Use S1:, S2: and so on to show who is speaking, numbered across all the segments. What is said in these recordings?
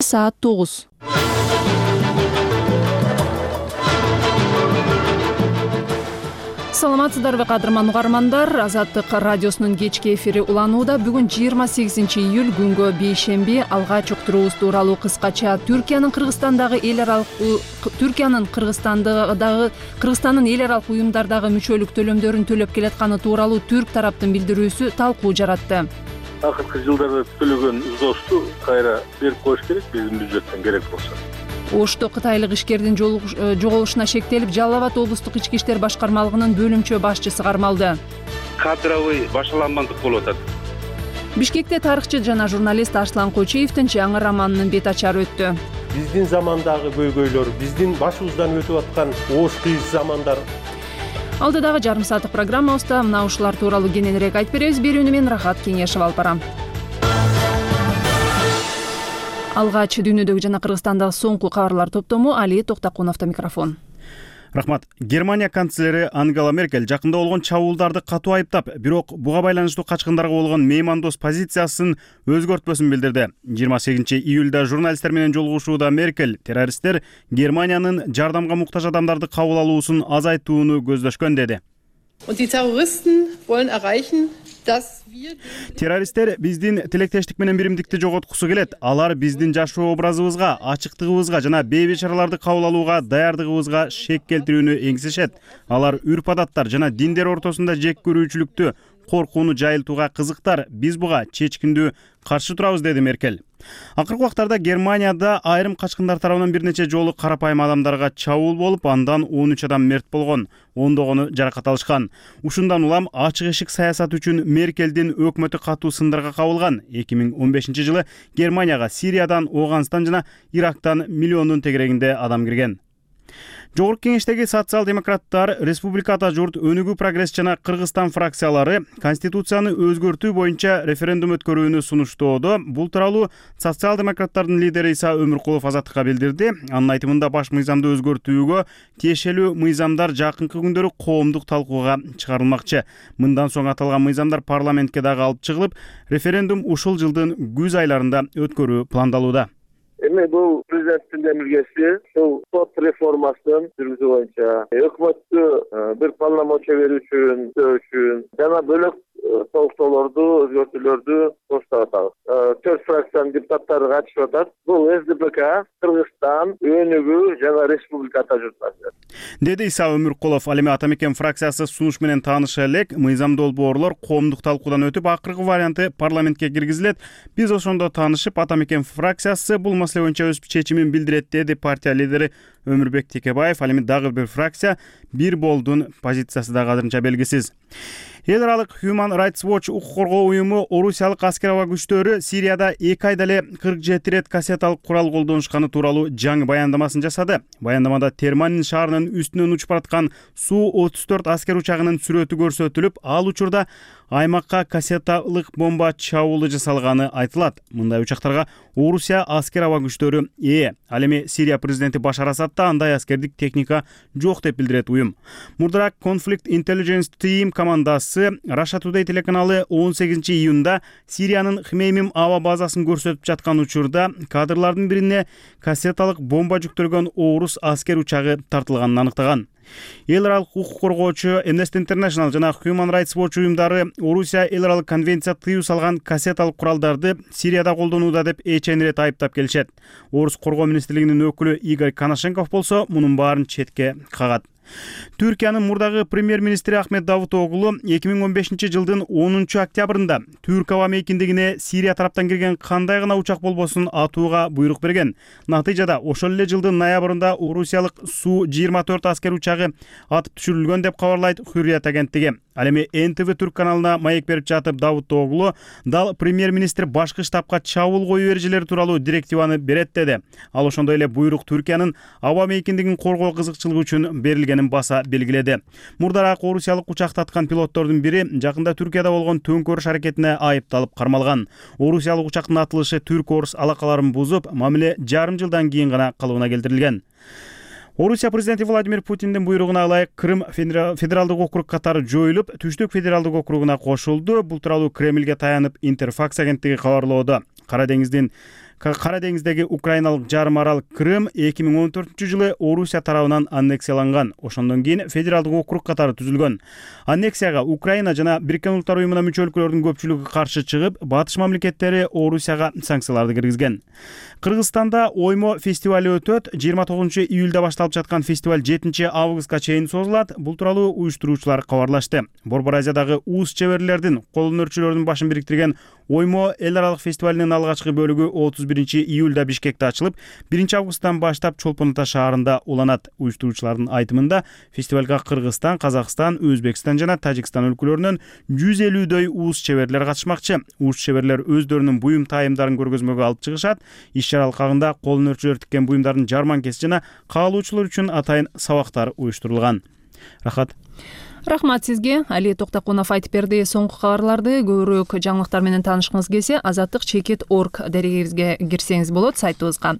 S1: саат 9. Саламатсыздарбы кадырман угармандар, Азаттык радиосунун кечки эфири уланууда. Бүгүн 28-июль күнгө бейшемби. Алгач уктуруубуз тууралуу кыскача Кыргызстандын эл аралык уюмдардагы мүчөлүк төлөмдөрүн төлөп келатканы тууралуу түрк тараптын билдирүүсү талкуу жаратты.
S2: Акыркы жылдарда төлөгөн взносту кайра берип коюш керек, биздин бюджеттен керек болсо.
S1: Ошто кытайлык ишкердин жоголушуна шектелип, Жалал Абад облустук ички иштер башкармалыгынын бөлүмчө башчысы кармалды.
S3: Кадровый башаламандык болуп атат.
S1: Бишкекте тарыхчы жана журналист Арслан Кочиевдин жаңы романынын бет ачары өттү.
S4: Биздин замандагы көйгөйлөр, биздин башыбыздан өтүп аткан оош кыйыз замандар.
S1: Алдыдагы жарым сааттык программабызда мына ушулар тууралуу кененирээк айтып беребиз. Берүүнү мен Рахат Кеңешева алып барам. Алгач дүйнөдөгү жана Кыргызстандагы соңку кабарлар топтому Али Токтакуновдо микрофон.
S5: Рахмат. Германия канцлери Ангела Меркель жакында болгон чабуулдарды катуу айыптап, бирок буга байланыштуу качкындарга болгон меймандос позициясын өзгөртпөсүн билдирди. 28-июлда журналисттер менен жолугушууда Меркель террористтер Германиянын жардамга муктаж адамдарды кабыл алуусун азайтууну көздөшкөн деди. Террористтер биздин тилектештик менен биримдикти жоготкусу келет. Алар биздин жашоо образыбызга, ачыктыгыбызга жана бейбечараларды кабыл алууга даярдыгыбызга шек келтирүүнү эңсешет. Алар үрп-адаттар жана диндер ортосунда жек көрүүчүлүктү, коркууну жайылтууга кызыктар. Биз буга чечкиндүү каршы турабыз, деди Меркель. Акыркы убактарда Германияда айрым качкындар тарабынан бир нече жолу карапайым адамдарга чабуул болуп, андан 13 адам мерт болгон, ондогону жаракат алышкан. Ушундан улам ачык эшик саясат үчүн Меркелдин өкмөтү катуу сындарга кабылган. 2015-жылы Германияга Сириядан, Ооганстан жана Ирактан миллиондун тегерегинде адам кирген. Жогорку кеңештеги социал-демократтар, Республикада журт өнүгүү прогресс жана Кыргызстан фракциялары Конституцияны өзгөртүү боюнча референдум өткөрүүнү сунуштоодо. Бул тууралуу социал-демократтардын лидери Иса Өмүркулов Азаттыкка билдирди. Анын айтымында баш мыйзамды өзгөртүүгө тиешелүү мыйзамдар жакынкы күндөрү коомдук талкууга чыгарылмакчы. Мындан соң аталган мыйзамдар парламентке дагы алып чыгылып, референдум ушул жылдын күз айларында өткөрүү пландалууда.
S2: Эми бул президенттин демилгеси ушул сот реформасынын жүргүзүү боюнча өкмөттү бир полномочия берүүчүн жана бөлөк толуктоолорду, өзгөртүүлөрдү коштоп атабыз. 4 фракциянын депутаттары катышып атат. Бул СДПК, Кыргызстан, Өнүгүү жана Республикада журтасы.
S5: Деди Иса Өмүркулов. Ал эми Ата мекен фракциясы сунуш менен тааныша элек. Мыйзам долбоорлор коомдук талкуудан өтүп, акыркы варианты парламентке киргизилет. Биз ошондо таанышып, Ата мекен фракциясы бул маселе боюнча өз чечимин билдирет, деди партия лидери Өмүрбек Текебаев. Ал эми дагы бир фракция бир болдун позициясы да азырынча белгисиз. Эл аралык Human Rights Watch укук коргоо уюму орусиялык аскер аба күчтөрү Сирияда 2 айда эле 47 рет кассеталык курал колдонушканы тууралуу жаңы баяндамасын жасады. Баяндамада Терманин шаарынын үстүнөн учуп бараткан Су-34 аскер учагынын сүрөтү көрсөтүлүп, ал учурда аймакка кассеталык бомба чабуулу жасалганы айтылат. Мындай учактарга Орусия аскер аба күчтөрү ээ. Ал эми Сирия президенти Башар Асадда андай аскердик техника жок деп билдирет уюм. Мурдараак Conflict Intelligence Team командасы Russia Today телеканалы 18-июнда Сириянын Хмеймим аба базасын көрсөтүп жаткан учурда кадрлардын бирине кассеталык бомба жүктөлгөн орус аскер учагы тартылганын аныктаган. Эл аралык укук коргоочу Amnesty International жана Human Rights Watch уюмдары Орусия эл аралык конвенция тыюу салган кассеталык куралдарды Сирияда колдонууда деп эченирет айыптап келишет. Орус коргоо министрлигинин өкүлү Игорь Коношенков болсо мунун баарын четке кагат. Түркиянын мурдагы премьер-министри Ахмет Давутоглу 2015-жылдын 10-октябрында Түрк аба мейкиндигине Сирия тараптан кирген кандай гана учак болбосун атууга буйрук берген. Натыйжада ошол эле жылдын ноябрында Орусиялык Су-24 аскер учагы атып түшүрүлгөн деп кабарлайт Hürriyet агенттиги. Ал эми НТВ Түрк каналына маек берип жатып Давутоглу дал премьер-министр башкы штабка чабуул коюу эрежелери тууралуу директиваны берет деди. Ал ошондой эле буйрук Түркиянын аба мейкиндигин коргоо кызыкчылыгы үчүн берилгенин баса белгиледи. Мурдараак орусиялык учактаткан пилоттордун бири жакында Түркияда болгон төңкөрүш аракетине айыпталып кармалган. Орусиялык учактын атылышы түрк-орус алакаларын бузуп, мамиле жарым жылдан кийин гана калыбына келтирилген. Орусия президенти Владимир Путиндин буйругуна ылайык Крым федералдык округ катары жоюлуп, Түштүк федералдык округуна кошулду. Бул тууралуу Кремлге таянып Интерфакс агенттиги кабарлоодо. Кара деңиздин Кара деңиздеги украиналык жарым арал Крым 2014-жылы Орусия тарабынан аннексияланган. Ошондон кийин федералдык округ катары түзүлгөн. Аннексияга Украина жана Бириккен Улуттар уюмуна мүчө өлкөлөрдүн көпчүлүгү каршы чыгып, батыш мамлекеттери Орусияга санкцияларды киргизген. Кыргызстанда Оймо фестивали өтөт. 29-июлда башталып жаткан фестиваль 7-августка чейин созулат. Бул тууралуу уюштуруучулар кабарлашты. Борбор Азиядагы уус чеберлердин, кол өнөрчүлөрдүн башын бириктирген Оймо эл аралык фестивалынын алгачкы бөлүгү 31-июлда Бишкекте ачылып, 1-августтан баштап Чолпон Ата шаарында уланат. Уюштуруучулардын айтымында фестивалга Кыргызстан, Казакстан, Өзбекстан жана Тажикстан өлкөлөрүнөн 150дөй уус чеберлер катышмакчы. Уус чеберлер өздөрүнүн буюм тайымдарын көргөзмөгө алып чыгышат. Иш-чара алкагында кол өнөрчүлөр тиккен буюмдардын жарманкеси жана каалоочулар үчүн атайын сабактар уюштурулган.
S1: Рахмат сизге. Али Токтокунов айтып берди. Соңку кабарларды көбүрөөк жаңылыктар менен таанышкыңыз келсе, azattik.org дарегибизге кирсеңиз болот, сайтыбызга.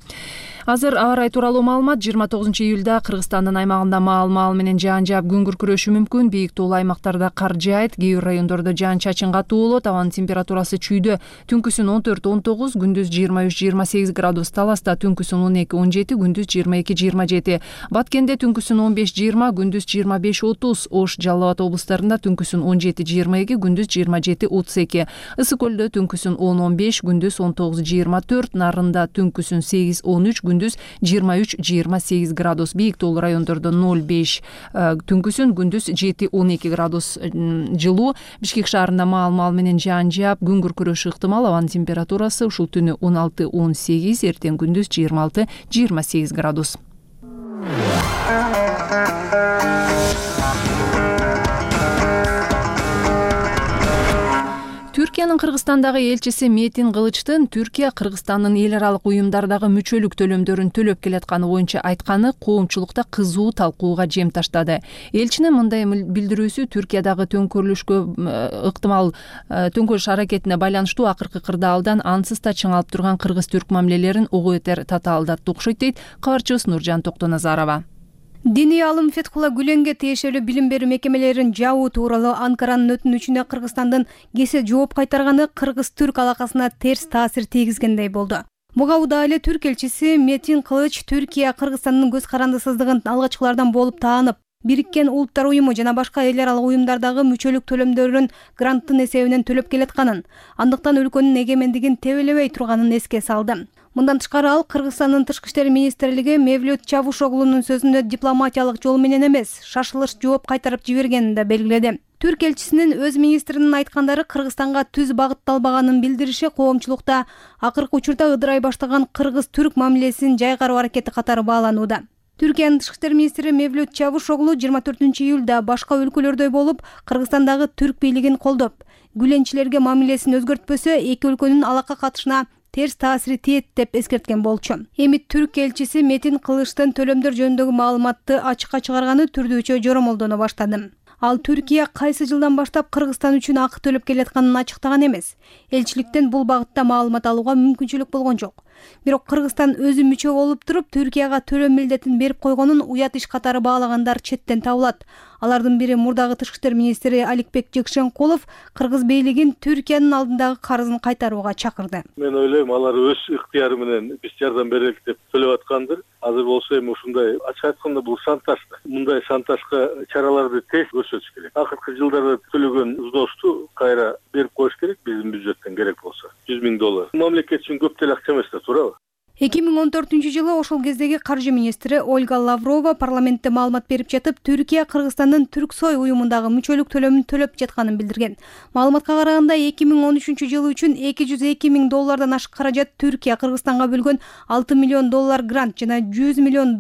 S1: Азыр аба ырайы тууралуу маалымат. 29-июлда Кыргызстандын аймагында маал менен жаан жаап күн күркүрөшү мүмкүн. Бийик туулуу аймактарда кар жаайт, кээ бир райондордо жаан-чачын катуу болот. Абанын температурасы чүйдө түнкүсүн 14-19, күндүз 23-28 градус. Таласта түнкүсүн 12-17, күндүз 22-27. Баткенде түнкүсүн 15-20, күндүз 25-30. Ош, Жалал Абад облустарында түнкүсүн 17-22, күндүз 27-32. Ысык көлдө түнкүсүн 10-15, күндүз 19-24. Нарында түнкүсүн 8-13, күндүз 23-28 градус. Бийик туулуу райондордо 0-5, түнкүсүн күндүз 7-12 градус жылуу. Бишкек шаарында маал менен жаан жаап, күн күркүрөшү ыктымал. Абанын температурасы ушул түнү 16-18, эртең күндүз 26-28 градус. Түркиянын Кыргызстандагы элчиси Метин Кылычтын Түркия Кыргызстандын эл аралык уюмдардагы мүчөлүк төлөмдөрүн төлөп келатканы боюнча айтканы коомчулукта кызуу талкууга жем таштады. Элчинин мындай билдирүүсү Түркиядагы төңкөрүлүшкө ыктымал төңкөрүш аракетине байланыштуу акыркы кырдаалдан ансыз да чыңалып турган кыргыз-түрк мамилелерин ого бетер татаалдатты окшойт дейт кабарчыбыз Нуржан Токтоназарова.
S6: Диний алым Фетхулла Гүленге тиешелүү билим берүү мекемелерин жабуу тууралуу Анкаранын өтүнүчүнө Кыргызстандын кесе жооп кайтарганы кыргыз-түрк алакасына терс таасир тийгизгендей болду. Буга удаа эле түрк элчиси Метин Кылыч Түркия Кыргызстандын көз карандысыздыгын алгачкылардан болуп таанып, Бириккен Улуттар уюму жана башка эл аралык уюмдардагы мүчөлүк төлөмдөрүн гранттын эсебинен төлөп келатканын, андыктан өлкөнүн эгемендигин тебелебей турганын эске салды. Мындан тышкары ал Кыргызстандын тышкы иштер министрлиги Мевлют Чавушоглунун сөзүндө дипломатиялык жол менен эмес, шашылыш жооп кайтарып жибергенин да белгиледи. Түрк элчисинин өз министринин айткандары Кыргызстанга түз багытталбаганын билдириши коомчулукта акыркы учурда ыдырай баштаган кыргыз-түрк мамилесин жайгаруу аракети катары бааланууда. Түркиянын тышкы иштер министри Мевлют Чавушоглу 24-июлда башка өлкөлөрдөй болуп Кыргызстандагы түрк бийлигин колдоп, гүленчилерге мамилесин өзгөртпөсө эки өлкөнүн алака катышына терс таасири тиет деп эскерткен болчу. Эми түрк элчиси Метин Кылычтын төлөмдөр жөнүндөгү маалыматты ачыкка чыгарганы түрдүүчө жоромолдоно баштады. Ал Түркия кайсы жылдан баштап Кыргызстан үчүн акы төлөп келатканын ачыктаган эмес. Элчиликтен бул багытта маалымат алууга мүмкүнчүлүк болгон жок. Бирок Кыргызстан өзү мүчө болуп туруп Түркияга төлөм милдетин берип койгонун уят иш катары баалагандар четтен табылат. Алардын бири мурдагы тышкы иштер министри Аликбек Жекшенкулов Кыргыз бийлигин Түркиянын алдындагы карызын кайтарууга чакырды.
S7: Мен ойлойм, алар өз ыктыяры менен биз жардам берели деп төлөп аткандыр. Азыр болсо эми ушундай ачык айтканда бул шантаж. Мындай шантажга чараларды тез көрсөтүш керек. Акыркы жылдарда төлөгөн взносту кайра берип коюш керек, биздин бюджеттен керек болсо. $100,000. Мамлекет үчүн көп деле акча эмес да, туурабы?
S6: 2014-жылы ошол кездеги каржы министри Ольга Лаврова парламентте маалымат берип жатып, Түркия Кыргызстандын Түрксой уюмундагы мүчөлүк төлөмүн төлөп жатканын билдирген. Маалыматка караганда 2013-жылы үчүн $202,000 ашык каражат Түркия Кыргызстанга бөлгөн $6 миллион грант жана $100 миллион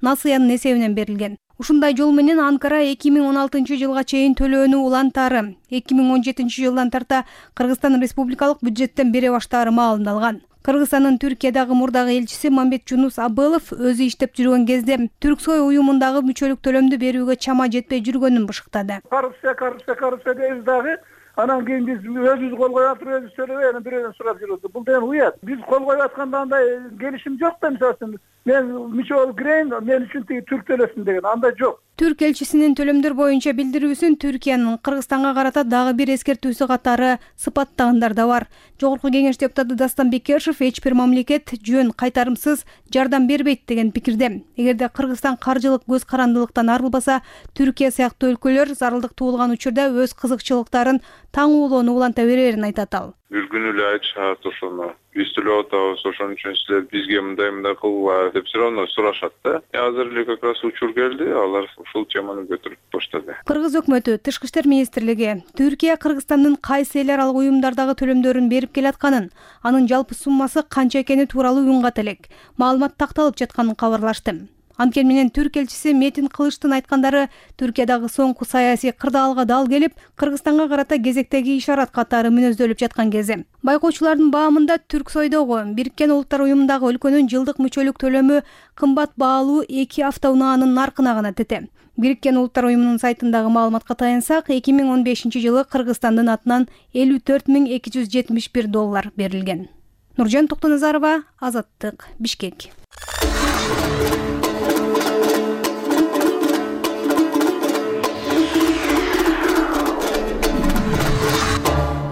S6: насыянын эсебинен берилген. Ушундай жол менен Анкара 2016-жылга чейин төлөөнү улантаары, 2017-жылдан тарта Кыргызстан республикалык бюджеттен бере баштаары маалымдалган. Кыргызстандын Түркиядагы мурдагы элчиси Мамбет Жунус Абылов өзү иштеп жүргөн кезде Түрксой уюмундагы мүчөлүк төлөмдү берүүгө чама жетпей жүргөнүн бышыктады.
S8: Коррупция дейбиз дагы. Анан кийин биз өзүбүз кол коюп атып өзүбүз төлөбөй, анан бирөөнөн сурап жүрөбүз. Бул деген уят. Биз кол коюп атканда андай келишим жок да, мисалы үчүн мен мүчө болуп кирейин, мен үчүн тиги түрк төлөсүн деген андай жок.
S6: Түрк элчисинин төлөмдөр боюнча билдирүүсүн Түркиянын Кыргызстанга карата дагы бир эскертүүсү катары сыпаттагандар да бар. Жогорку кеңеш депутаты Дастан Бекешев эч бир мамлекет жөн кайтарымсыз жардам бербейт деген пикирде. Эгерде Кыргызстан каржылык көз карандылыктан арылбаса, Түркия сыяктуу өлкөлөр зарылдык туулган учурда өз кызыкчылыктарын таңуулоону уланта берерин айтат ал.
S9: Бир күнү эле айтышат ошону. Биз төлөп атабыз, ошон үчүн силер бизге мындай кылгыла деп все равно сурашат да. Азыр эле как раз учур келди, алар ушул теманы көтөрүп баштады.
S6: Кыргыз өкмөтү, Тышкы иштер министрлиги Түркия Кыргызстандын кайсы эл аралык уюмдардагы төлөмдөрүн берип келатканын, анын жалпы суммасы канча экени тууралуу үн ката элек маалымат такталып жатканын кабарлашты. Анткени менен Түрк элчиси Метин Кылычтын айткандары Түркиядагы соңку саясий кырдаалга дал келип, Кыргызстанга карата кезектеги ишарат катары мүнөздөлүп жаткан кези. Байкоочулардын баамында Түрксойдогу Бириккен Улуттар уюмундагы өлкөнүн жылдык мүчөлүк төлөмү кымбат баалуу 2 автоунаанын наркына гана тете. Бириккен Улуттар уюмунун сайтындагы маалыматка таянсак, 2015-жылы Кыргызстандын атынан $54,271 берилген. Нуржан Токтоназарова, Азаттык, Бишкек.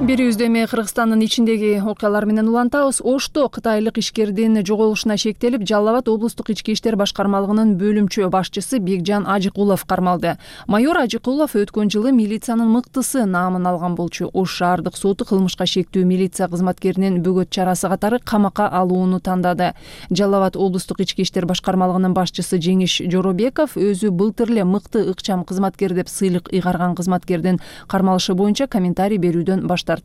S1: Бирибизде эми Кыргызстандын ичиндеги окуялар менен улантабыз. Ошто кытайлык ишкердин жоголушуна шектелип, Жалал Абад облустук ички иштер башкармалыгынын бөлүмчө башчысы Бекжан Ажыкулов кармалды. Майор Ажыкулов өткөн жылы милициянын мыктысы наамын алган болчу. Ош шаардык соту кылмышка шектүү милиция кызматкеринин бөгөт чарасы катары камакка алууну тандады. Жалал Абад облустук ички иштер башкармалыгынын башчысы Жеңиш Жоробеков өзү былтыр эле мыкты ыкчам кызматкер деп сыйлык ыйгарган кызматкердин кармалышы боюнча комментарий берүүдөн баш тартты.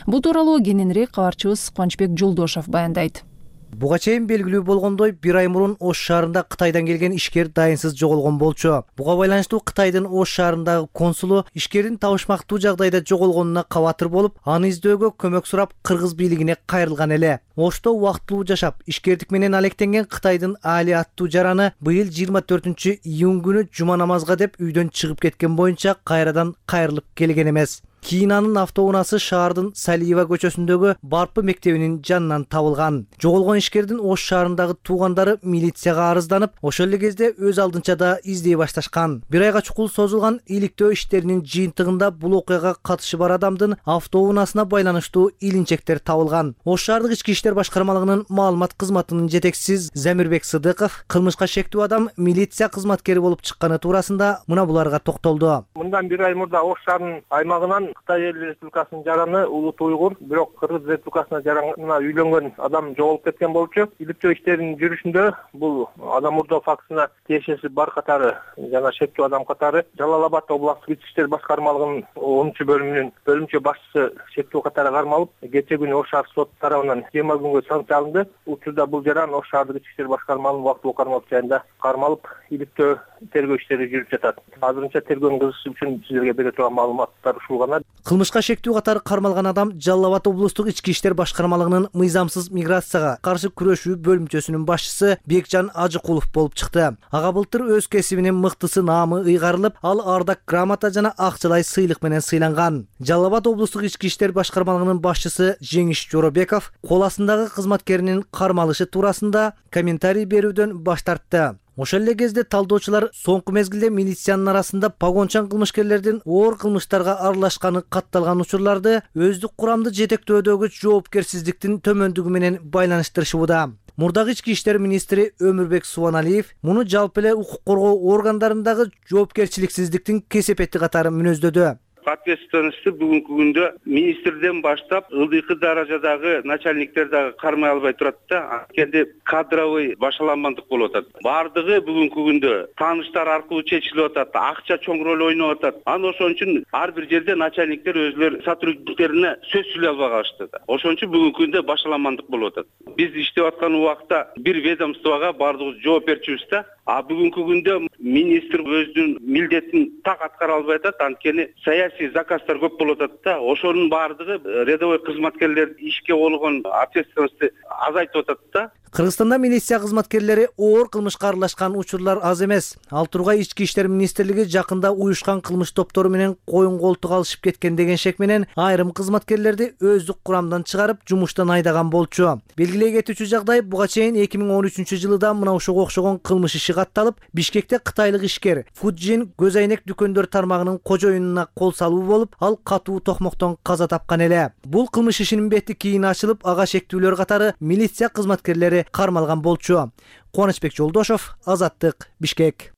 S1: Бул тууралуу кененирээк кабарчыбыз Кубанычбек Жолдошов баяндайт.
S10: Буга чейин белгилүү болгондой, 1 ай мурун Ош шаарында Кытайдан келген ишкер дайынсыз жоголгон болчу. Буга байланыштуу Кытайдын Ош шаарындагы консулу ишкердин табышмактуу жагдайда жоголгонуна кабатыр болуп, аны издөөгө көмөк сурап кыргыз бийлигине кайрылган эле. Ошто убактылуу жашап, ишкердик менен алектенген Кытайдын Али аттуу жараны быйыл 24-июнь күнү жума намазга деп үйдөн чыгып кеткен боюнча кайрадан кайрылып келген эмес. Кийин анын автоунаасы шаардын Салиева көчөсүндөгү Барпы мектебинин жанынан табылган. Жоголгон ишкердин Ош шаарындагы туугандары милицияга арызданып, ошол эле кезде өз алдынча да издей башташкан. 1 айга чукул созулган иликтөө иштеринин жыйынтыгында бул окуяга катышы бар адамдын автоунаасына байланыштуу илинчектер табылган. Ош шаардык ички иштер башкармалыгынын маалымат кызматынын жетекчиси Замирбек Сыдыков кылмышка шектүү адам милиция кызматкери болуп чыкканы туурасында мына буларга токтолду.
S11: Мындан 1 ай мурда Ош шаарынын аймагынан Кытай Эл Республикасынын жараны улут уйгур, бирок Кыргыз Республикасына жаранына үйлөнгөн адам жоголуп кеткен болчу. Иликтөө иштеринин жүрүшүндө бул адам мурдоо фактысына тиешеси бар катары жана шектүү адам катары Жалал Абад облустук ички иштер башкармалыгынын 10-бөлүмүнүн бөлүмчө башчысы шектүү катары кармалып, кечээ күнү Ош шаар сот тарабынан 20 күнгө санкция алынды. Учурда бул жаран Ош шаардык ички иштер башкармалыгынын убактылуу кармалып жайында кармалып, иликтөө тергөө иштери жүрүп жатат. Азырынча тергөөнүн кызышы үчүн силерге бере турган маалыматтар ушул гана.
S10: Кылмышка шектүү катары кармалган адам Жалал Абад облустук ички иштер башкармалыгынын мыйзамсыз миграцияга каршы күрөшүү бөлүмчөсүнүн башчысы Бекжан Ажыкулов болуп чыкты. Ага былтыр өз кесибинин мыктысы наамы ыйгарылып, ал ардак грамота жана акчалай сыйлык менен сыйланган. Жалал Абад облустук ички иштер башкармалыгынын башчысы Жеңиш Жоробеков кол астындагы кызматкеринин кармалышы туурасында комментарий берүүдөн баш тартты. Ошол эле кезде талдоочулар соңку мезгилде милициянын арасында погончан кылмышкерлердин оор кылмыштарга аралашканы катталган учурларды өздүк курамды жетектөөдөгү жоопкерсиздиктин төмөндүгү менен байланыштырышууда. Мурдагы ички иштер министри Өмүрбек Субаналиев муну жалпы эле укук коргоо органдарындагы жоопкерчиликсиздиктин кесепети катары мүнөздөдү.
S3: Ответственности бүгүнкү күндө министрден баштап ылдыйкы даражадагы начальниктер дагы кармай албай турат да. Анткени кадровый башаланмандык болуп атат. Бардыгы бүгүнкү күндө тааныштар аркылуу чечилип атат, акча чоң роль ойноп атат. Анан ошон үчүн ар бир жерде начальниктер өзлөрү сотрудниктерине сөз сүйлөй албай калышты да. Ошон үчүн бүгүнкү күндө башаланмандык болуп атат. Биз иштеп аткан убакта бир ведомствого бардыгыбыз жооп берчүбүз да. А бүгүнкү күндө министр өзүнүн милдетин так аткара албай атат. Анткени саясий заказдар көп болуп атат да. Ошонун бардыгы рядовой кызматкерлер ишке болгон ответственности азайтып атат да.
S10: Кыргызстанда милиция кызматкерлери оор кылмышка аралашкан учурлар аз эмес. Ал тургай Ички иштер министрлиги жакында уюшкан кылмыш топтору менен коюн колтук алышып кеткен деген шек менен айрым кызматкерлерди өздүк курамдан чыгарып жумуштан айдаган болчу. Белгилей кетүүчү жагдай, буга чейин 2013-жылы да мына ушуга окшогон кылмыш иши катталып, Бишкекте кытайлык ишкер Фуджин көз айнек дүкөндөр тармагынын кожоюнуна кол салуу болуп, ал катуу токмоктон каза тапкан эле. Бул кылмыш ишинин бети кийин ачылып, ага шектүүлөр катары милиция кызматкерлери кармалган болчу. Кубанычбек Жолдошов, Азаттык, Бишкек.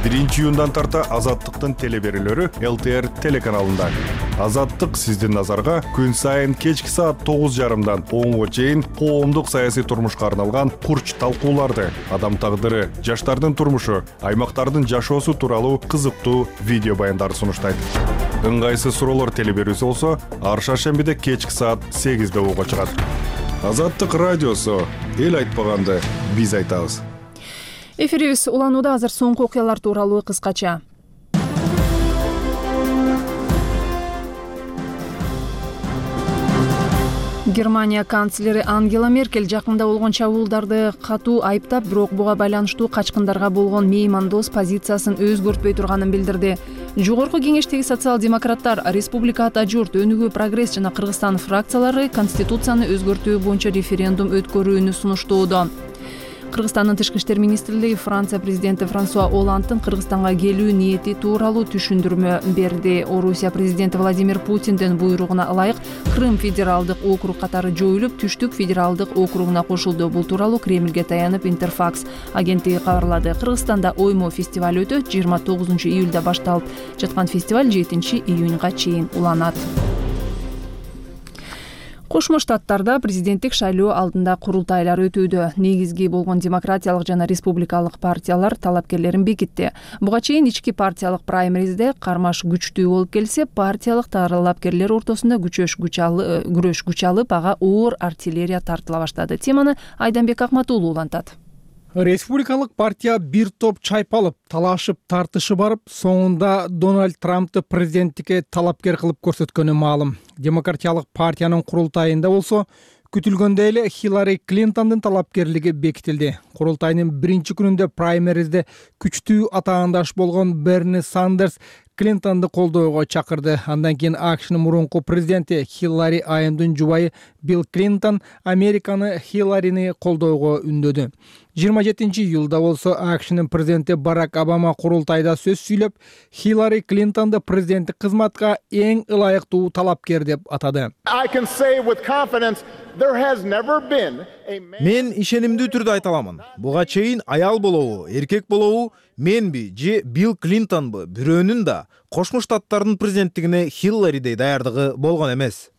S12: 1-июндан тарта Азаттыктын телеберүүлөрү ЛТР телеканалында. Азаттык сиздин назарга күн сайын кечки саат 9:30дан 10:00 чейин коомдук саясий турмушка арналган курч талкууларды, адам тагдыры, жаштардын турмушу, аймактардын жашоосу тууралуу кызыктуу видео баяндарды сунуштайт. Ыңгайсыз суроолор телеберүүсү болсо, ар шаршембиде кечки саат 8:00 угуга чыгат. Азаттык радиосу, эл айтпаганды биз айтабыз.
S1: Эфирибиз уланууда. Азыр соңку окуялар тууралуу кыскача. Германия канцлери Ангела Меркель жакында болгон чабуулдарды катуу айыптап, бирок буга байланыштуу качкындарга болгон меймандос позициясын өзгөртпөй турганын билдирди. Жогорку кеңештеги социал-демократтар Республика Ата журт, Өнүгүү, Прогресс жана Кыргызстан фракциялары конституцияны өзгөртүү боюнча референдум өткөрүүнү сунуштоодо. Кыргызстандын тышкы иштер министрлиги Франция президенти Франсуа Олландтын Кыргызстанга келүү ниети тууралуу түшүндүрмө берди. Орусия президенти Владимир Путиндин буйругуна ылайык Крым федералдык округ катары жоюлуп, Түштүк федералдык округуна кошулду. Бул тууралуу Кремльге таянып Интерфакс агенттиги кабарлады. Кыргызстанда оймо фестиваль өтөт. 29 июлда башталып жаткан фестиваль 7 июнга чейин уланат. Кошмо Штаттарда президенттик шайлоо алдында курултайлар өтүүдө. Негизги болгон демократиялык жана республикалык партиялар талапкерлерин бекитти. Буга чейин ички партиялык праймеризде кармаш күчтүү болуп келсе, партиялык талапкерлер ортосунда күрөш күч алып, ага оор артиллерия тартыла баштады. Теманы Айданбек Акматуулу улантат.
S13: Республикалык партия бир топ чайпалып, талашып, тартышы барып, соңунда Дональд Трампты президенттикке талапкер кылып көрсөткөнү маалым. Демократиялык партиянын курултайында болсо, күтүлгөндөй эле Хиллари Клинтондун талапкерлиги бекитилди. Курултайдын биринчи күнүндө праймеризде күчтүү атаандаш болгон Берни Сандерс Клинтонду колдоого чакырды. Андан кийин АКШнын мурунку президенти Хиллари Айымдын жубайы Билл Клинтон Американы Хилларини колдоого үндөдү. 27 июлда болсо АКШнын президенти Барак Обама курултайда сөз сүйлөп, Хиллари Клинтонду президенттик кызматка эң ылайыктуу талапкер деп атады.
S14: Мен ишенимдүү түрдө айта аламын. Буга чейин аял болобу, эркек болобу, менби же Билл Клинтонбу, бирөөнүн да Кошмо Штаттардын президенттигине Хилларидей даярдыгы болгон эмес.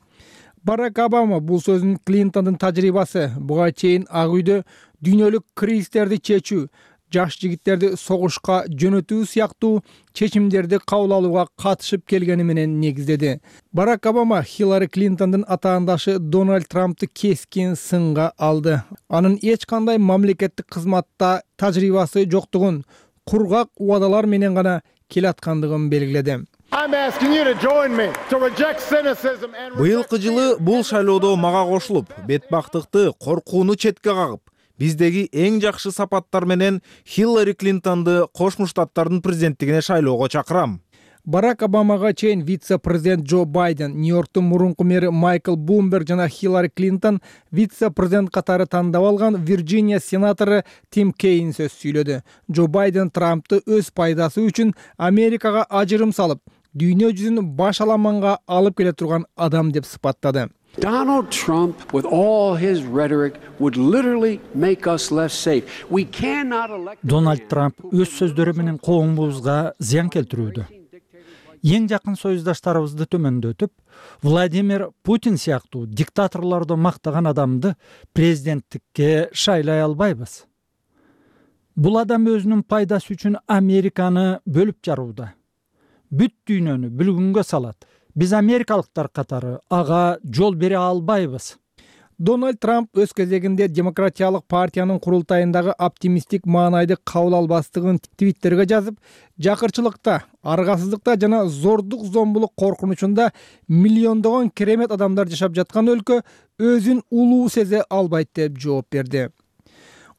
S13: Барак Обама бул сөзүн Клинтондун тажрыйбасы, буга чейин Ак үйдө дүйнөлүк кризистерди чечүү, жаш жигиттерди согушка жөнөтүү сыяктуу чечимдерди кабыл алууга катышып келгени менен негиздеди. Барак Обама Хиллари Клинтондун атаандашы Дональд Трампты кескин сынга алды. Анын эч кандай мамлекеттик кызматта тажрыйбасы жоктугун, кургак убадалар менен гана келаткандыгын белгиледи.
S14: Быйылкы жылы бул шайлоодо мага кошулуп, бетбактыкты, коркууну четке кагып, биздеги эң жакшы сапаттар менен Хиллари Клинтонду Кошмо Штаттардын президенттигине шайлоого чакырам.
S13: Барак Обамага чейин вице-президент Джо Байден, Нью-Йорктун мурунку мэри Майкл Блумберг жана Хиллари Клинтон вице-президент катары тандап алган Вирджиния сенатору Тим Кейн сөз сүйлөдү. Джо Байден Трампты өз пайдасы үчүн Америкага ажырым салып, дүйнө жүзүн баш аламанга алып келе турган адам деп сыпаттады.
S15: Donald Trump, with all his rhetoric, would literally make us less safe. We cannot elect.
S16: Donald Trump өз сөздөрү менен коомубузга зыян келтирүүдө. Эң жакын союздаштарыбызды төмөндөтүп, Владимир Путин сыяктуу диктаторлорду мактаган адамды президенттикке шайлай албайбыз. Бул адам өзүнүн пайдасы үчүн Американы бөлүп жарууда. Бүт дүйнөнү бүлгүнгө салат. Биз америкалыктар катары ага жол бере албайбыз.
S13: Дональд Трамп өз кезегинде демократиялык партиянын курултайындагы оптимисттик маанайды кабыл албастыгын твиттерге жазып, жакырчылыкта, аргасыздыкта жана зордук зомбулук коркунучунда миллиондогон керемет адамдар жашап жаткан өлкө өзүн улуу сезе албайт деп жооп берди.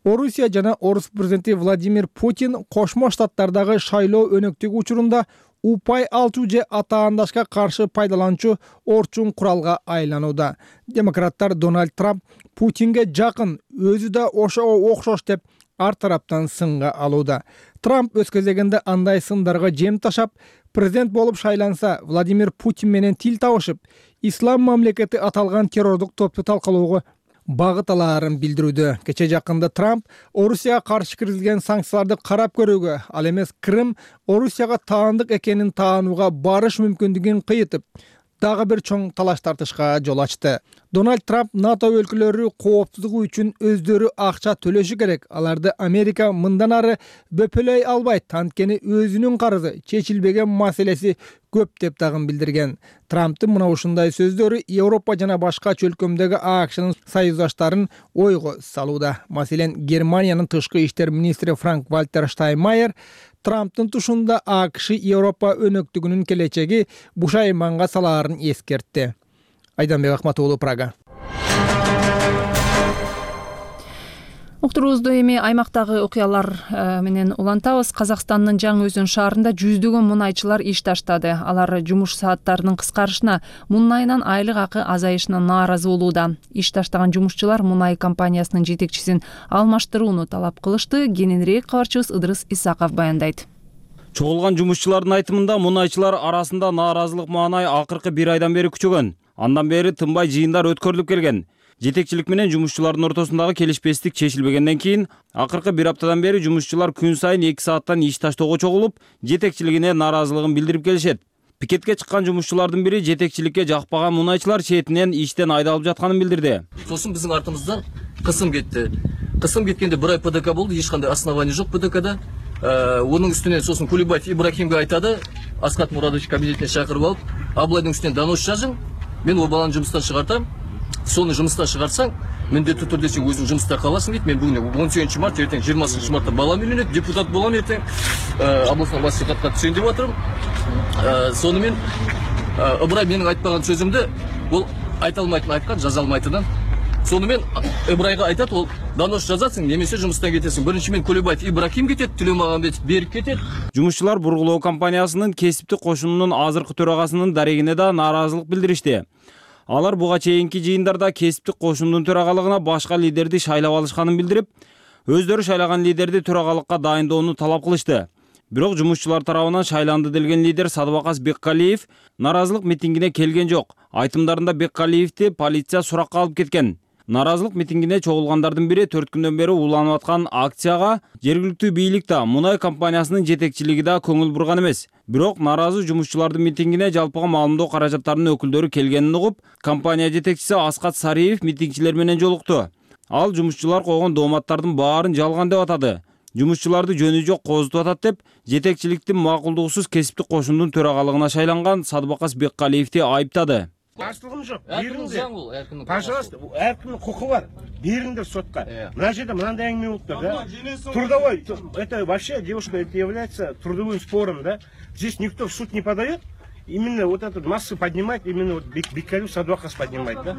S13: Орусия жана Орус президенти Владимир Путин Кошмо Штаттардагы шайлоо өнөктүгү учурунда упай алчу же атаандашка каршы пайдаланчу орчун куралга айланууда. Демократтар Дональд Трамп Путинге жакын, өзү да ошого окшош деп ар тараптан сынга алууда. Трамп өз кезегинде андай сындарга жем ташап, президент болуп шайланса, Владимир Путин менен тил табышып, ислам мамлекети аталган террордук топту талкалоого багыт алаарын билдирүүдө. Кече жакында Трамп Орусияга каршы киргизилген санкцияларды карап көрүүгө, ал эмес Крым Орусияга таандык экенин таанууга барыш мүмкүндүгүн кыйытып, дагы бир чоң талаш тартышка жол ачты. Дональд Трамп НАТО өлкөлөрү кооптуздугу үчүн өздөрү акча төлөшү керек. Аларды Америка мындан ары бөпөлөй албайт, анткени өзүнүн карызы чечилбеген маселеси көп деп дагы билдирген. Трамптын мына ушундай сөздөрү Европа жана башка чөлкөмдөгү АКШнын союздаштарын ойго салууда. Маселен, Германиянын тышкы иштер министри Франк Вальтер Штайнмайер Трамптын тушунда АКШ Европа өнөктүгүнүн келечеги бушайманга салаарын эскертти. Айданбек Акматуулу, Прага.
S1: Уктуруубузду эми аймактагы окуялар менен улантабыз. Казакстандын Жаңы Өзөн шаарында жүздөгөн мунайчылар иш таштады. Алар жумуш сааттарынын кыскарышына, мунайынан айлык акы азайышына нааразы болууда. Иш таштаган жумушчулар мунай компаниясынын жетекчисин алмаштырууну талап кылышты. Кененирээк кабарчыбыз Ыдырыс Исаков баяндайт.
S17: Чогулган жумушчулардын айтымында мунайчылар арасында нааразылык маанай акыркы 1 айдан бери күчөгөн. Андан бери тынбай жыйындар өткөрүлүп келген. Жетекчилик менен жумушчулардын ортосундагы келишпестик чечилбегенден кийин акыркы 1 аптадан бери жумушчулар күн сайын 2 сааттан иш таштоого чогулуп, жетекчилигине нааразылыгын билдирип келишет. Пикетке чыккан жумушчулардын бири жетекчиликке жакпаган мунайчылар четинен иштен айдалып жатканын билдирди.
S18: Сосын биздин артымыздан кысым кетти. Кысым кеткенде 1 ай ПДК болду, эч кандай основание жок ПДКда. Onun üstüne sosun Kulübayев İbrahim'e aytadı. Askat Muradovич kabinetine çağırıp alıp, ablayдың üstüne danos жазın. Ben o balanı жұмыстан шығартам. Соны жұмыстан шығарсаң, міндетті түрде сен өзің жұмыста қаласың дейді. Мен бүгін 18 март, ертең 20 мартта балам үйленеді, депутат боламын ертең. Облыстық мәслихатқа түсейін деп жатырмын. Сонымен Ыбырай менің айтпаған сөзімді ол айта алмайтын айтқан, жаза алмайтынын. Сонымен Ыбырайға айтады, ол донос жазасың, немесе жұмыстан кетесің. Бірінші мен Kulübaев Ибрахим кетеді, Төлеумағанбетов беріп кетеді.
S17: Жумушчулар бургулоо компаниясынын кесиптик кошунунун азыркы төрагасынын дарегине да нааразылык билдиришти. Алар буга чейинки жыйындарда кесиптик кошундун төрагалыгына башка лидерди шайлап алышканын билдирип, өздөрү шайлаган лидерди төрагалыкка дайындоону талап кылышты. Бирок жумушчулар тарабынан шайланды делген лидер Садыбакас Беккалиев нааразылык митингине келген жок. Айтымдарында Беккалиевди полиция суракка алып кеткен. Нааразылык митингине чогулгандардын бири 4 күндөн бери уланып аткан акцияга жергиликтүү бийлик да, мунай компаниясынын жетекчилиги да көңүл бурган эмес. Бирок нааразы жумушчулардын митингине жалпыга маалымдоо каражаттарынын өкүлдөрү келгенин угуп, компания жетекчиси Аскат Сариев митингчилер менен жолукту. Ал жумушчулар койгон дооматтардын баарын жалган деп атады. Жумушчуларды жөнү жок козутуп атат деп, жетекчиликтин макулдугусуз кесиптик кошундун төрагалыгына шайланган Садыбакас Беккалиевди айыптады.
S19: Каршылыгым жок. Бериңдер. Пожалуйста, әркімнің құқы бар. Бериңдер сотқа. Мына жерде мынандай әңгіме болып тұр, да? Трудовой, это вообще, девушка, это является трудовым спором, да? Здесь никто в суд не подает. Именно вот эту массу поднимает, именно вот Беккалиев Садыбакас поднимает, да?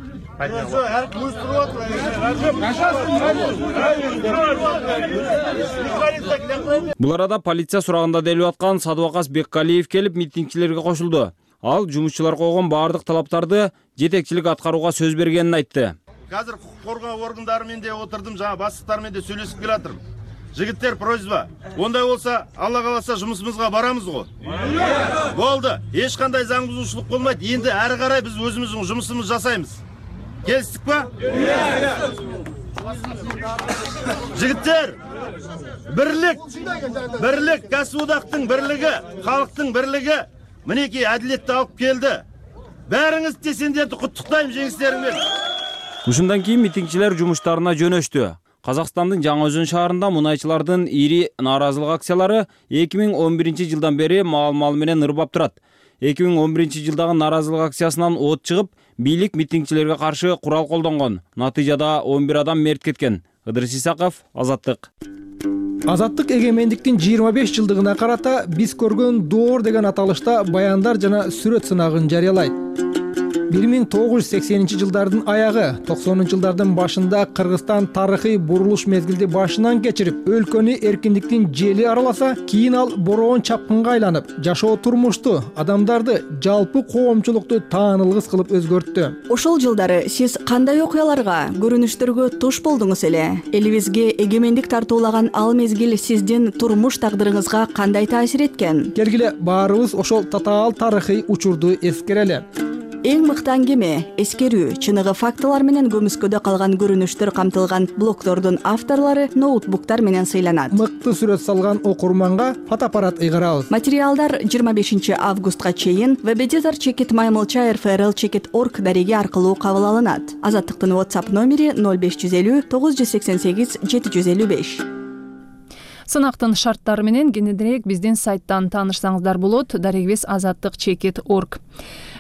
S17: Бул арада полиция сурагында делип аткан Садыбакас Беккалиев келип митингчилерге кошулду. Ал жумушчулар койгон баардык талаптарды жетекчилик аткарууга сөз бергенин айтты.
S20: Азыр укук коргоо органдары менен де отурдум, жана бастыктар менен де сүйлөшүп келатырмын. Жигиттер, просьба. Ондай болса, Алла кааласа жумушубузга барамыз го. Болду. Эч кандай заң бузуучулук болмойт. Энди ары карай биз өзүбүздүн жумушубузду жасайбыз. Келиштикпи? Жигиттер, бирлик, кәсіподақтың бірлігі, халықтың бірлігі мінеки әділетті алып келді. Бәріңіз сендерді құттықтаймын жеңістеріңмен.
S17: Ушундан кийин митингчилер жумуштарына жөнөштү. Казакстандын Жаңы Өзөн шаарында мунайчылардын ири нааразылык акциялары 2011-жылдан бери маал-маал менен ырбап турат. 2011 жылдагы нааразылык акциясынан от чыгып, бийлик митингчилерге каршы курал колдонгон. Натыйжада 11 адам мерт кеткен. Ыдырыс Исаков, Азаттык.
S13: Азаттык эгемендиктин 25 жылдыгына карата биз көргөн доор деген аталышта баяндар жана сүрөт сынагын жарыялайт. жылдардын аягы 90-жылдардын башында Кыргызстан тарыхый бурулуш мезгилди башынан кечирип, өлкөнү эркиндиктин жели араласа, кийин ал бороон чапкынга айланып, жашоо турмушту, адамдарды, жалпы коомчулукту таанылгыс кылып өзгөрттү.
S21: Ошол жылдары сиз кандай окуяларга, көрүнүштөргө туш болдуңуз эле? Элибизге эгемендик тартуулаган ал мезгил сиздин турмуш тагдырыңызга кандай таасир эткен?
S13: Келгиле баарыбыз ошол татаал тарыхый учурду эскерели.
S21: Эң мыкты аңгеме, эскерүү, чыныгы фактылар менен көмүскөдө калган көрүнүштөр камтылган блогтордун авторлору ноутбуктар менен сыйланат.
S13: Мыкты сүрөт салган окурманга фотоаппарат ыйгарабыз.
S21: Материалдар 25 августка чейин www.maymulcha.rfrl.org дареги аркылуу кабыл алынат. Азаттыктын WhatsApp номери 0550 988 755.
S1: Сынактын шарттары менен кененирээк биздин сайттан таанышсаңыздар болот. Дарегибиз azattik.org.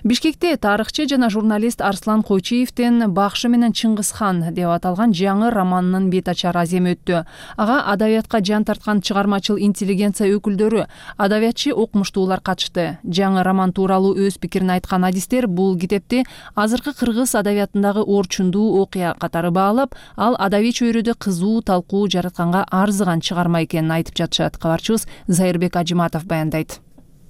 S1: Бишкекте тарыхчы жана журналист Арслан Койчиевдин «Бакшы менен Чыңгызхан» деп аталган жаңы романынын бет ачар аземи өттү. Ага адабиятка жан тарткан чыгармачыл интеллигенция өкүлдөрү, адабиятчы окумуштуулар катышты. Жаңы роман тууралуу өз пикирин айткан адистер бул китепти азыркы кыргыз адабиятындагы орчундуу окуя катары баалап, ал адабий чөйрөдө кызуу талкуу жаратканга арзыган чыгарма экенин айтып жатышат. Кабарчыбыз Зайырбек Ажиматов баяндайт.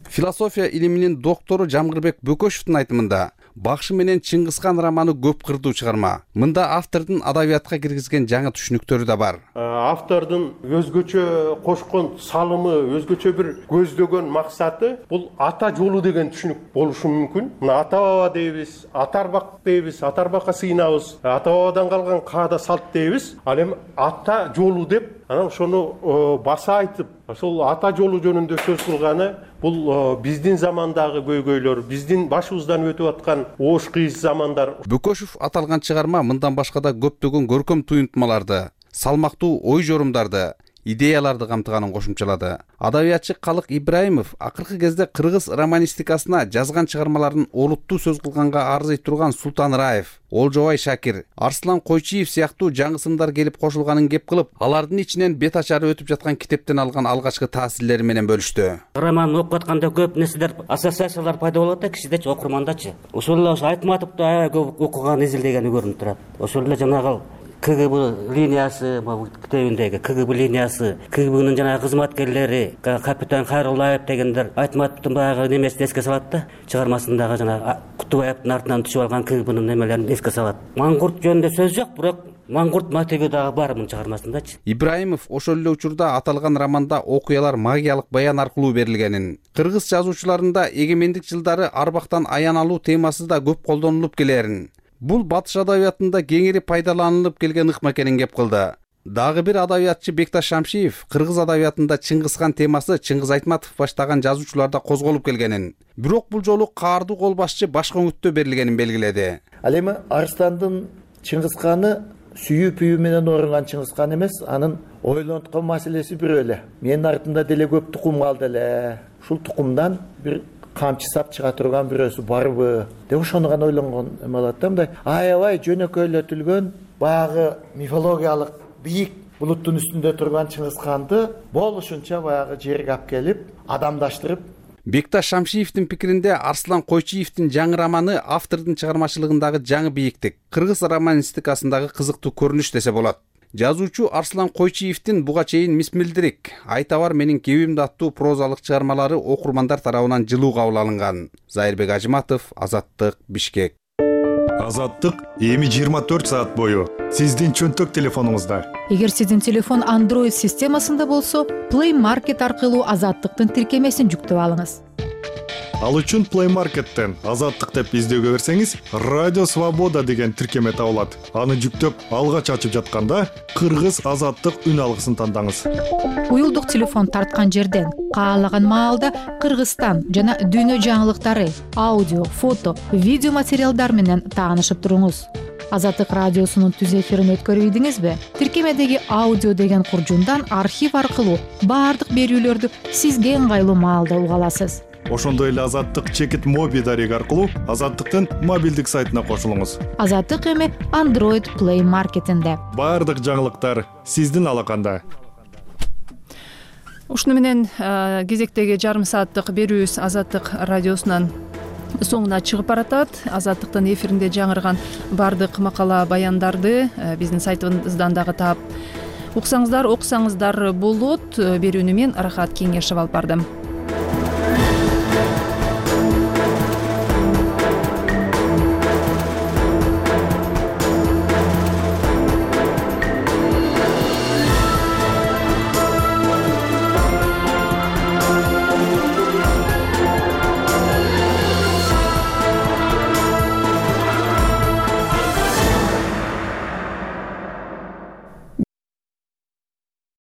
S22: Философия илиминин доктору Жамгырбек Бөкөшевдин айтымында «Бакшы менен Чыңгызхан» романы көп кырдуу чыгарма. Мында автордун адабиятка киргизген жаңы түшүнүктөрү да бар.
S4: Автордун өзгөчө кошкон салымы, өзгөчө бир көздөгөн максаты бул ата жолу деген түшүнүк болушу мүмкүн. Мына ата баба дейбиз, ата арбак дейбиз, ата арбакка сыйынабыз, ата бабадан калган каада салт дейбиз. Ал эми ата жолу деп анан ошону баса айтып, ошол ата жолу жөнүндө сөз кылганы бул биздин замандагы көйгөйлөр, биздин башыбыздан өтүп аткан оош кыйыз замандар.
S22: Бөкөшев аталган чыгарма мындан башка да көптөгөн көркөм туюнтмаларды, салмактуу ой жорумдарды, идеяларды камтыганын кошумчалады. Адабиятчы Калык Ибраимов акыркы кезде кыргыз романистикасына жазган чыгармаларын олуттуу сөз кылганга арзый турган Султан Раев, Олжобай Шакир, Арслан Койчиев сыяктуу жаңы сындар келип кошулганын кеп кылып, алардын ичинен бет ачары өтүп жаткан китептен алган алгачкы таасирлери менен бөлүштү.
S23: Роман окуп атканда көп нерселер, ассоциациялар пайда болот да кишидечи, окурмандачы. Ошол эле Айтматовду аябай көп окуган, изилдегени көрүнүп турат. Ошол эле жанагы КГБ линиясы, китебиндеги КГБ линиясы, КГБнын жанагы кызматкерлери, капитан Хайруллаев дегендер Айтматовдун баягы немесин эске салат да, чыгармасындагы жанагы Кутубаевдин артынан түшүп алган КГБнын немелерин эске салат. Маңгурт жөнүндө сөз жок, бирок маңгурт мотиви дагы бар мунун чыгармасындачы.
S22: Ибраимов ошол эле учурда аталган романда окуялар магиялык баян аркылуу берилгенин, кыргыз жазуучуларында эгемендик жылдары арбактан аян алуу темасы да көп колдонулуп келерин, бул батыш адабиятында кеңири пайдаланылып келген ыкма экенин кеп кылды. Дагы бир адабиятчы Бекташ Шамшиев кыргыз адабиятында Чыңгызхан темасы Чыңгыз Айтматов баштаган жазуучуларда козголуп келгенин, бирок бул жолу каардуу кол башчы башка үмүттө берилгенин белгиледи.
S24: Ал эми Арстандын Чыңгызханы сүйүү пүйүү менен орунган Чыңгызхан эмес, анын ойлонткон маселеси бирөө эле. Менин артымда деле көп тукум калды эле. Ушул тукумдан бир камчы сап чыга турган бирөөсү барбы деп ошону гана ойлонгон эме болот да. Мындай аябай жөнөкөйлөтүлгөн баягы мифологиялык бийик булуттун үстүндө турган Чыңгызханды болушунча баягы жерге алып келип адамдаштырып.
S22: Бекташ Шамшиевдин пикиринде Арслан Койчиевдин жаңы романы автордун чыгармачылыгындагы жаңы бийиктик, кыргыз романистикасындагы кызыктуу көрүнүш десе болот. Жазуучу Арслан Койчиевдин буга чейин Мисмилдирик, Айта бар менин кебимди аттуу прозалык чыгармалары окурмандар тарабынан жылуу кабыл алынган. Зайырбек Ажиматов, Азаттык, Бишкек.
S12: Азаттык эми 24 саат бою сиздин чөнтөк телефонуңузда.
S25: Эгер сиздин телефон Android системасында болсо, Play Market аркылуу Азаттыктын тиркемесин жүктөп алыңыз.
S12: Ал үчүн Play Market'тен Азаттык деп издөөгө берсеңиз, Радио Свобода деген тиркеме табылат. Аны жүктөп алгач ачып жатканда Кыргыз Азаттык үн алгысын тандаңыз.
S25: Уюлдук телефон тарткан жерден каалаган маалда Кыргызстан жана дүйнө жаңылыктары, аудио, фото, видео материалдар менен таанышып туруңуз. Азаттык радиосунун түз эфирин өткөрүбүдүңүзбү? Тиркемедеги аудио деген куржундан архив аркылуу баардык берүүлөрдү сизге ыңгайлуу маалда уга аласыз.
S12: Ошондой эле Азаттык чекит моби дареги аркылуу Азаттыктын мобилдик сайтына кошулуңуз.
S25: Азаттык эми Android Play Market'инде.
S12: Баардык жаңылыктар сиздин алаканда.
S1: Ушуну менен кезектеги жарым сааттык берүүбүз Азаттык радиосунан соңуна чыгып баратат. Азаттыктын эфиринде жаңырган баардык макала баяндарды биздин сайтыбыздан дагы таап уксаңыздар, окусаңыздар болот. Берүүнү мен Рахат Кеңешев алып бардым.